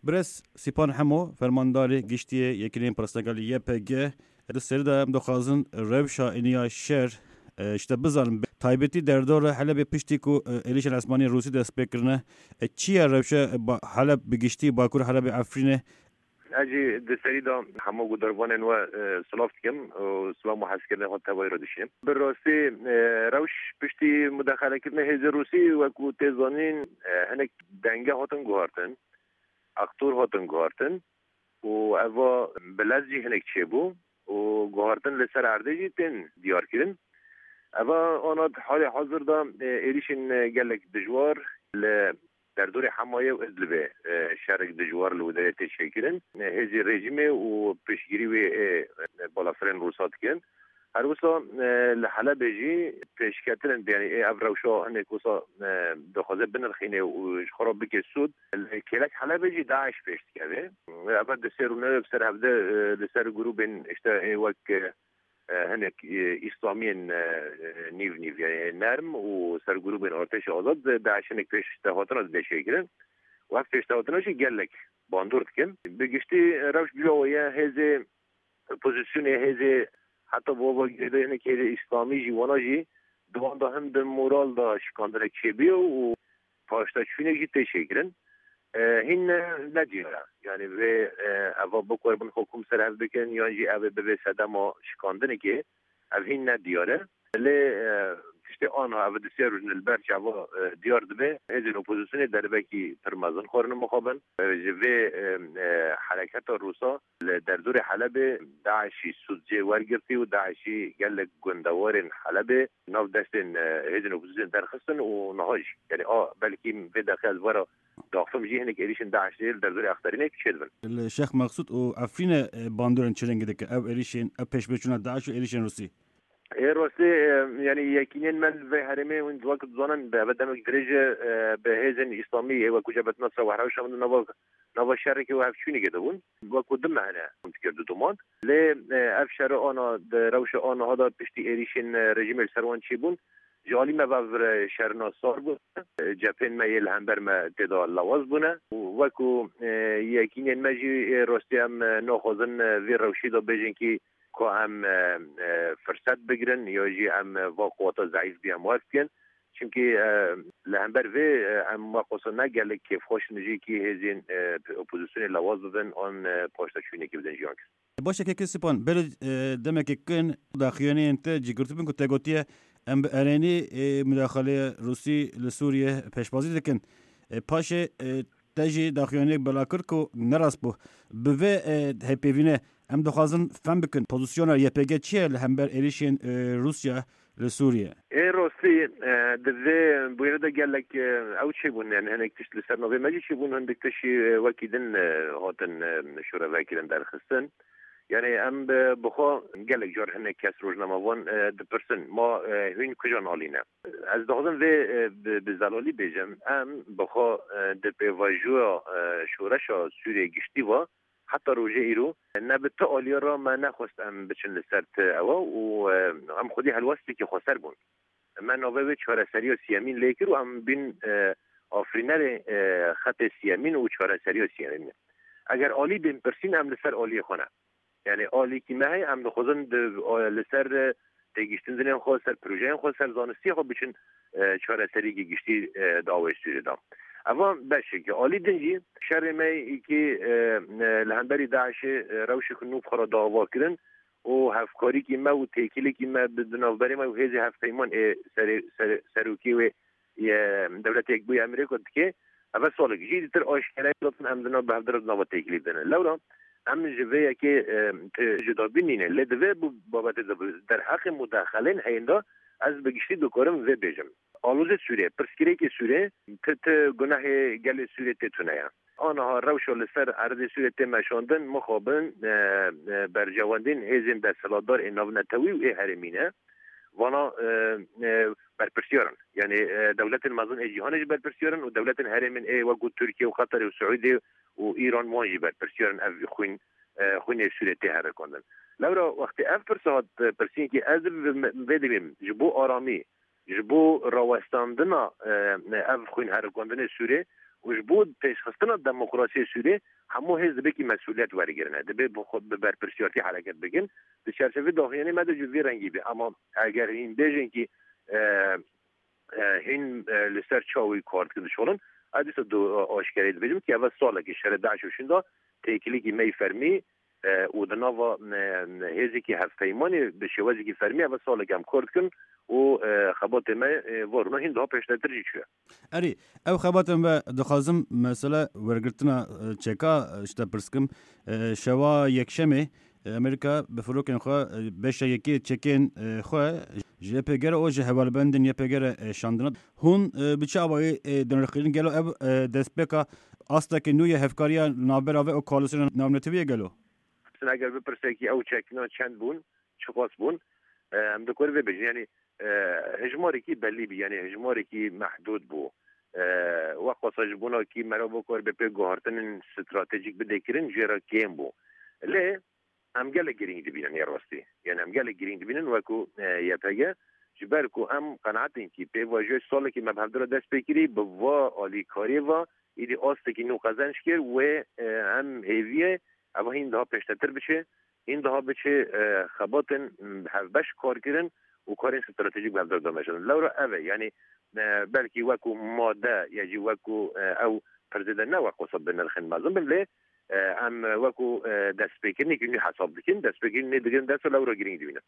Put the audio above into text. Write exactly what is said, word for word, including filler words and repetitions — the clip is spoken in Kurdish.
Birêz Sîpan Hemo, fermandarê giştî yê Yekîneyên Pirsgirêk li Y P G, di serî de em dixwazin rewşa êniya şer, e, ji te bizanin. Taybetî derdora Helebê piştî ku, e, êrîşên esmanî Rûsî dest pê kirine, e, çi ye rewşa, e, ba-, Heleb bi giştî, Bakur Helebê, Efrînê? Ez jî di serî de hemû guhdarvanên we, e, silav dikim û silav û hezkirinê xwe tevayî re dişînim. Bi rastî, e, rewş piştî mudexelekirina hêzê Rûsî, wekû tê zanîn, e, hinek denge hatin guhartin, aktor hatin guhartin û eva bi lez jî hinek çêbû û guhartin li ser erdê jî tên diyar kirin. Eva ana di halê hazir de, e, êrîşên, e, gelek dijwar li derdorê Hemayê û Idlibê, e, şerek dijwar li wê derê tê çêkirin. E, hêzê rejîmê û piştgirî wê ê, e, balafirên Rûsa dikin. Her wisa, e, li Helebê jî pêşketin, yanî ê ev rewşa hinek wisa, e, dixwaze binirxîne û ji xwe re bike sûd. Li kêlek Helebê jî DAIŞ pêş dikeve. Ev di sê rûnewê bi ser hevde, e, li ser grûbên işte ê wek, e, e, hinek, e, îslamiyên, e, e, nîv nîv, yanî nerm û ser grûbên artêşa azad, e, DAIŞ hinek pêştehatina dide çêkirin. Û ev pêştehatina jî gelek bandor dikin. Bi giştî rewş bi vî awayî ye, hêzê opozisyonê, hêzê heta bi ava girêdayî hinek hêzê îslamî jî, wana jî di wan de him di moral de şikandinek çêbûye û paşdaçûnek jî tê çêkirin. E, hîn ne, ne diyar e. Yanî vê, e, eva bikarin xwe kom ser hev bikin, yan jî ev ê bibe sedema şikandinekê, ev hîn ne diyar e. Lê, e, tiştê anha ev di sê rojin li ber çava, e, diyar dibe, hêzên opozisyonê derbekî pir mezin xwarin mixabin. E, ji vê, e, e, hereketa Rûsa li derdorê Helebê DAIŞî sûdcê wergirtî û DAIŞî gelek gundewarên Helebê nav destên, e, hêzên opozisyonê derxistin û niha jî, yanî a, belkî vê deqê ez were daxim jî hinek êrîşên DAIŞê li derdorê Exterînê çêdibin. Li Şêx Meqsûd û Efrînê, e, bandorên çi rengî dike ev êrîşên, ev pêşbirçûna DAIŞ û êrîşên Rûsî? Ê rastî, e, yanî yekînên me li vê herêmê hûn wek dizanin bi eve demek dirêj e, e, bi hêzên îslamî ê wekû Cebhet Nusra û Hewşa min di nava, nava şerekê û hevçûnekê de bûn. Wekû du meh e hûn dikir di doman. Lê, e, ev şere ana, di rewşa aniha de piştî êrîşên, e, rejîmê li ser wan çêbûn, ji alî me ve, e, şerina sar bûne. E, cephên me yê li hember me tê de lawaz bûne. Û wekû, e, yekînên me jî ê rastî em, e, naxwazin, e, vê rewşî de bêjin kî ku em, e, e, firset bigirin ya jî em, e, va quwata zeîf bî em werf bikin. Çimkî, e, li hember vê, e, em wek wisa ne gelek kêfxweş in jî kî hêzên, e, opozisyonê lawaz bibin an, e, paşdaçûnekê bidin jiyan kir. Baş e, kekê Sîpan, berê, e, demekê kin daxuyaniyên te cî girtibûn ku te gotiye em bi erênî, e, mudaxaleyê Rûsî li Sûriyê pêşbazî dikin. E, paşê, e, te jî daxuyaniyek bela kir ku ne rast bû. Bi vê, e, hevpeyvînê em dixwazin fem bikin pozisyona Y P G çi ye li hember êrîşên, e, Rûsya li Sûriyê? Ê rastî, e, di vê bûyerê de gelek, e, ew çêbûn, yani hinek tişt li ser navê me jî çêbûn, hindik tişt jî, e, wekî din, e, hatin, e, şorevekirin derxistin. Yani em bi, bi xwe gelek car hinek kes rojnamevan, e, dipirsin, ma, e, hûn kujan alî ne? Ez dixwazim vê, e, bi, bi zelalî bêjim, em bi xwe, e, di pêvajoya, e, şoreşa Sûriyê giştî ve, heta rojê îro ne bi ti aliya re me nexwest em biçin li ser ti ewa û, e, em xwedî helwestekî xweser bûn. Me navê wê çareseriya siyemîn lê kir û em bîn, e, afirînerê, e, xetê siyemîn û çareseriya siyemîn. Eger alî bên pirsîn, em li ser aliyê xwe ne. Yani alîkî me heye, em dixwazin di, e, li ser, e, têgiştin dinên xwe, ser projeyên xwe, ser zanistiyê xwe biçin, e, çareseriyekî giştî, e, di awayê Sûriyê de. Eva beşekî alî din jî şerê me kî, e, e, li hemberî DAIŞê, e, rewşek nû bi xwe re dava kirin û hevkarîkî me û têkilîkî me bi di navberê me û hêzê hevpeyman ê serê-, serê-, serokê wê yê Dewletê Yekbûyî Amerîka dike. Eve salek jî dîtir aşkere gotin em di nav bi hevdira di nava têkilî de ne. Lewra em ji vê yekê, e, ti cudabî nîne. Lê di vê bu-, babetê de bi derheqê mudaxelên heyîn de ez bi giştî dikarim vê bêjim. Aloze Sûriyê, pirsgirêkê Sûriyê, ti, ti gunehê gelê Sûriyê tê tune ye. Aniha rewşa li ser erdê Sûriyê tê meşandin, mixabin, e, e, berjewendên hêzên desthilatdar ê navnetewî û ê herêmî ne. Vana, e, e, berpirsiyar in. Yani, e, dewletên mezin ê cîhanê jî berpirsiyar in û dewletên herêmên ê wekû Tirkiye û Qeterê û Siûdê û Îran wan jî berpirsiyar in ev xwîn, e, xwînê Sûriyê tê herikandin. Lewra wextê ev pirsa hat, e, pirsînkî ez bi me-, vê dibêm ji bo aramî, ji bo rawestandina, e, ev xwîn herikandinê Sûrê û ji bo pêşxistina demokrasiyê Sûriyê hemû hêz dibê kî mesûliyet wergirine. Dibê bi xwe, bi berpirsiyartî hereket bikin. Di çerçevê daxuyanê me de jî vî rengî bê. Ama eger hîn bêjin kî, e, e, hîn, e, li ser çawî kar dikin, dişolin, ez dîsa du-, aşkerê dibêjim kî ev salekî şerê DAIŞ û şûnda têkilîkî me yî fermî, e, û di nava, e, hêzekî hevpeymanê bi şêwazekî fermî ev salekî em kar dikin û, e, xebatê me, e, va rûna hîn daha pêştetir jî çûye. Erê, ew xebatên ve dixwazim mesele wergirtina, e, çeka, e, ji te pirs kim. E, şewa yekşemê, e, Amerîka bi firokên xwe, e, beşa yekê çekên, e, xwe ji Y P G re û ji hevalbendên Y P G re, e, şandine. Hûn, e, bi çi awayî, e, dinirxînin? Gelo ev, e, destpêka astekî nû ye hevkariya navbera ve û koalîsyona navnetewî ye gelo? Eger bipirse kî ew çekna çend bûn, çiqas bûn, e, em dikarin vê bêjin. Yanî, e, hejmarekî belî bî, yanî hejmarekî mehdûd bû. E, weqasa ji bona kî merov bikar bi pê guhartinên stratejîk bidê kirin, jê re kêm bû. Lê em gelek girîng dibînin ya rastî. Yanî em gelek girîng dibînin wekû, e, Y P G, ji ber ku em qenaetên kî pê vajiyê salekî me bi hevdira dest pê kirî, bi va alîkariyê va, îdî astekî nû qezenc kir wê, e, em hêviyê eva hîn daha pêştetir biçe, hîn daha biçe, e, xebatên, m, hevbeş kar kirin û karên stratejîk bi hevdira dameşin. Lewra ev e, yanî, e, belkî wekû made ya jî wekû, e, ew pirzê de ne weqasa bi nirxên mezin bin, lê, e, em wekû, e, destpêkirinekî nû hesab dikin, destpêkirin nê digirin dest û lewra girîng dibînin.